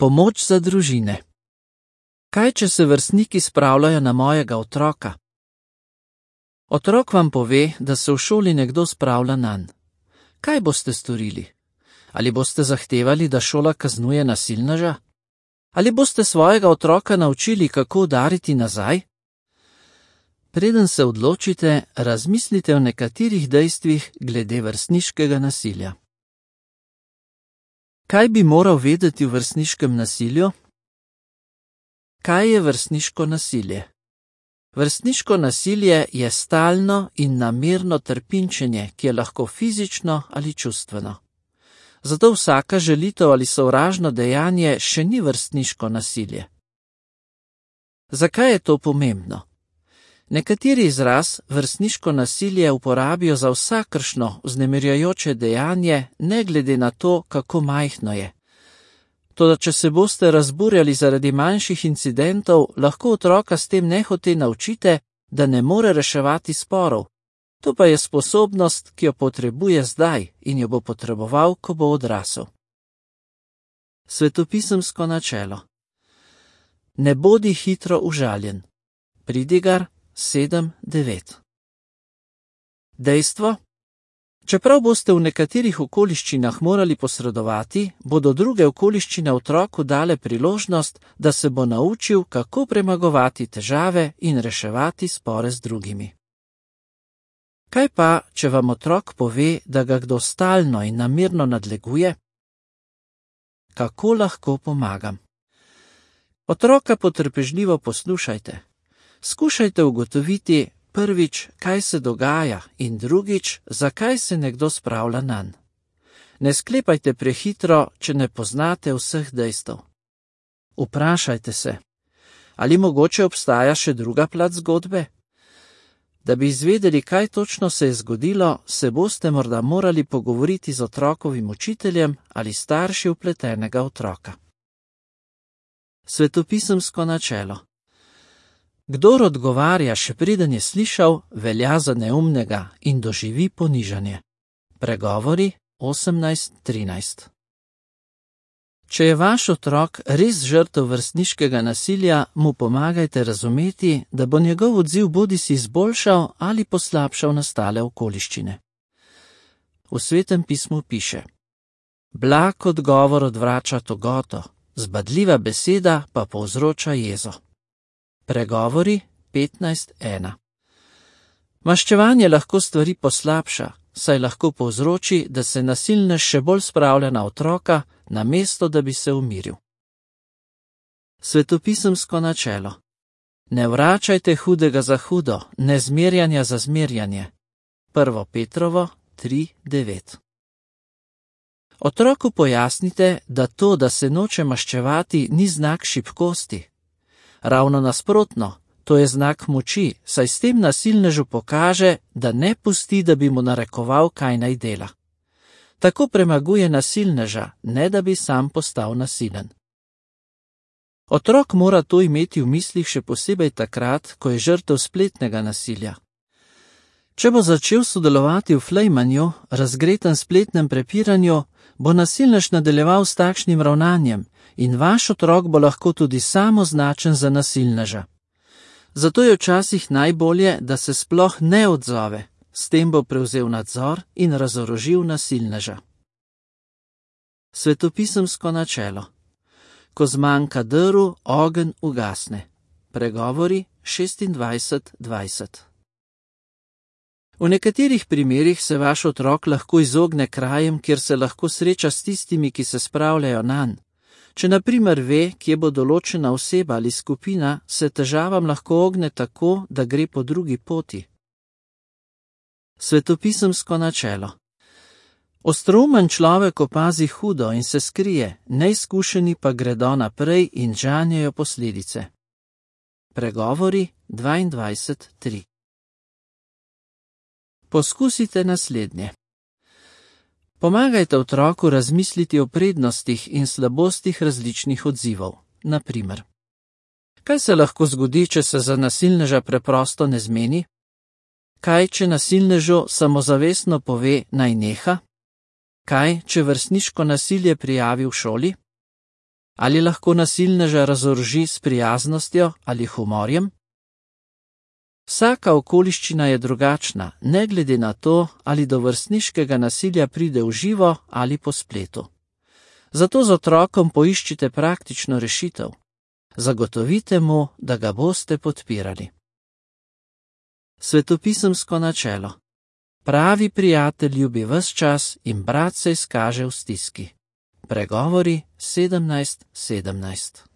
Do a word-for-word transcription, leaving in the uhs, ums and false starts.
Pomoč za družine. Kaj, če se vrstniki spravljajo na mojega otroka? Otrok vam pove, da se v šoli nekdo spravlja nanj. Kaj boste storili? Ali boste zahtevali, da šola kaznuje nasilneža? Ali boste svojega otroka naučili, kako udariti nazaj? Preden se odločite, razmislite o nekaterih dejstvih glede vrstniškega nasilja. Kaj bi moral vedeti v vrstniškem nasilju? Kaj je vrstniško nasilje? Vrstniško nasilje je stalno in namerno trpinčenje, ki je lahko fizično ali čustveno. Zato vsaka žalitev ali sovražno dejanje še ni vrstniško nasilje. Zakaj je to pomembno? Nekateri izraz vrstniško nasilje uporabijo za vsakršno vznemirjajoče dejanje, ne glede na to, kako majhno je. Toda če se boste razburjali zaradi manjših incidentov, lahko otroka s tem nehote naučite, da ne more reševati sporov. To pa je sposobnost, ki jo potrebuje zdaj in jo bo potreboval, ko bo odrasel. Svetopisemsko načelo. Ne bodi hitro užaljen. Pridigar sedem devet. Dejstvo? Čeprav boste v nekaterih okoliščinah morali posredovati, bodo druge okoliščine otroku dale priložnost, da se bo naučil, kako premagovati težave in reševati spore z drugimi. Kaj pa, če vam otrok pove, da ga kdo stalno in namerno nadleguje? Kako lahko pomagam? Otroka potrpežljivo poslušajte. Skušajte ugotoviti, prvič, kaj se dogaja, in drugič, zakaj se nekdo spravlja nanj. Ne sklepajte prehitro, če ne poznate vseh dejstev. Vprašajte se, ali mogoče obstaja še druga plat zgodbe? Da bi izvedeli, kaj točno se je zgodilo, se boste morda morali pogovoriti z otrokovim učiteljem ali starši vpletenega otroka. Svetopisemsko načelo. Kdor odgovarja, še preden je slišal, velja za neumnega in doživi ponižanje. Pregovori osemnajst trinajst. Če je vaš otrok res žrtev vrstniškega nasilja, mu pomagajte razumeti, da bo njegov odziv bodisi izboljšal ali poslabšal nastale okoliščine. V Svetem pismu piše: Blag odgovor odvrača togoto, zbadljiva beseda pa povzroča jezo. Pregovori petnajst ena. Maščevanje lahko stvari poslabša, saj lahko povzroči, da se nasilnež še bolj spravlja na otroka, namesto da bi se umiril. Svetopisemsko načelo. Ne vračajte hudega za hudo, ne zmerjanja za zmerjanje. Prvo Petrovo tri devet. Otroku pojasnite, da to, da se noče maščevati, ni znak šibkosti. Ravno nasprotno, to je znak moči, saj s tem nasilnežu pokaže, da ne pusti, da bi mu narekoval, kaj naj dela. Tako premaguje nasilneža, ne da bi sam postal nasilen. Otrok mora to imeti v mislih še posebej takrat, ko je žrtev spletnega nasilja. Če bo začel sodelovati v flejmanju, razgretem spletnem prepiranju, bo nasilnež nadaljeval s takšnim ravnanjem in vaš otrok bo lahko tudi sam označen za nasilneža. Zato je včasih najbolje, da se sploh ne odzove, s tem bo prevzel nadzor in razorožil nasilneža. Svetopisemsko načelo. Ko zmanjka drv, ogenj ugasne. Pregovori šestindvajset dvajset. V nekaterih primerih se vaš otrok lahko izogne krajem, kjer se lahko sreča s tistimi, ki se spravljajo nanj. Če na primer ve, kje bo določena oseba ali skupina, se težavam lahko ogne tako, da gre po drugi poti. Svetopisemsko načelo. Ostroumen človek opazi hudo in se skrije, neizkušeni pa gredo naprej in žanjejo posledice. Pregovori dvaindvajset tri. Poskusite naslednje. Pomagajte otroku razmisliti o prednostih in slabostih različnih odzivov. Na primer, kaj se lahko zgodi, če se za nasilneža preprosto ne zmeni? Kaj, če nasilnežu samozavestno pove, naj neha? Kaj, če vrstniško nasilje prijavi v šoli? Ali lahko nasilneža razoroži s prijaznostjo ali humorjem? Vsaka okoliščina je drugačna, ne glede na to, ali do vrstniškega nasilja pride v živo ali po spletu. Zato z otrokom poiščite praktično rešitev. Zagotovite mu, da ga boste podpirali. Svetopisemsko načelo. Pravi prijatelj ljubi ves čas in brat se izkaže v stiski. Pregovori sedemnajst sedemnajst.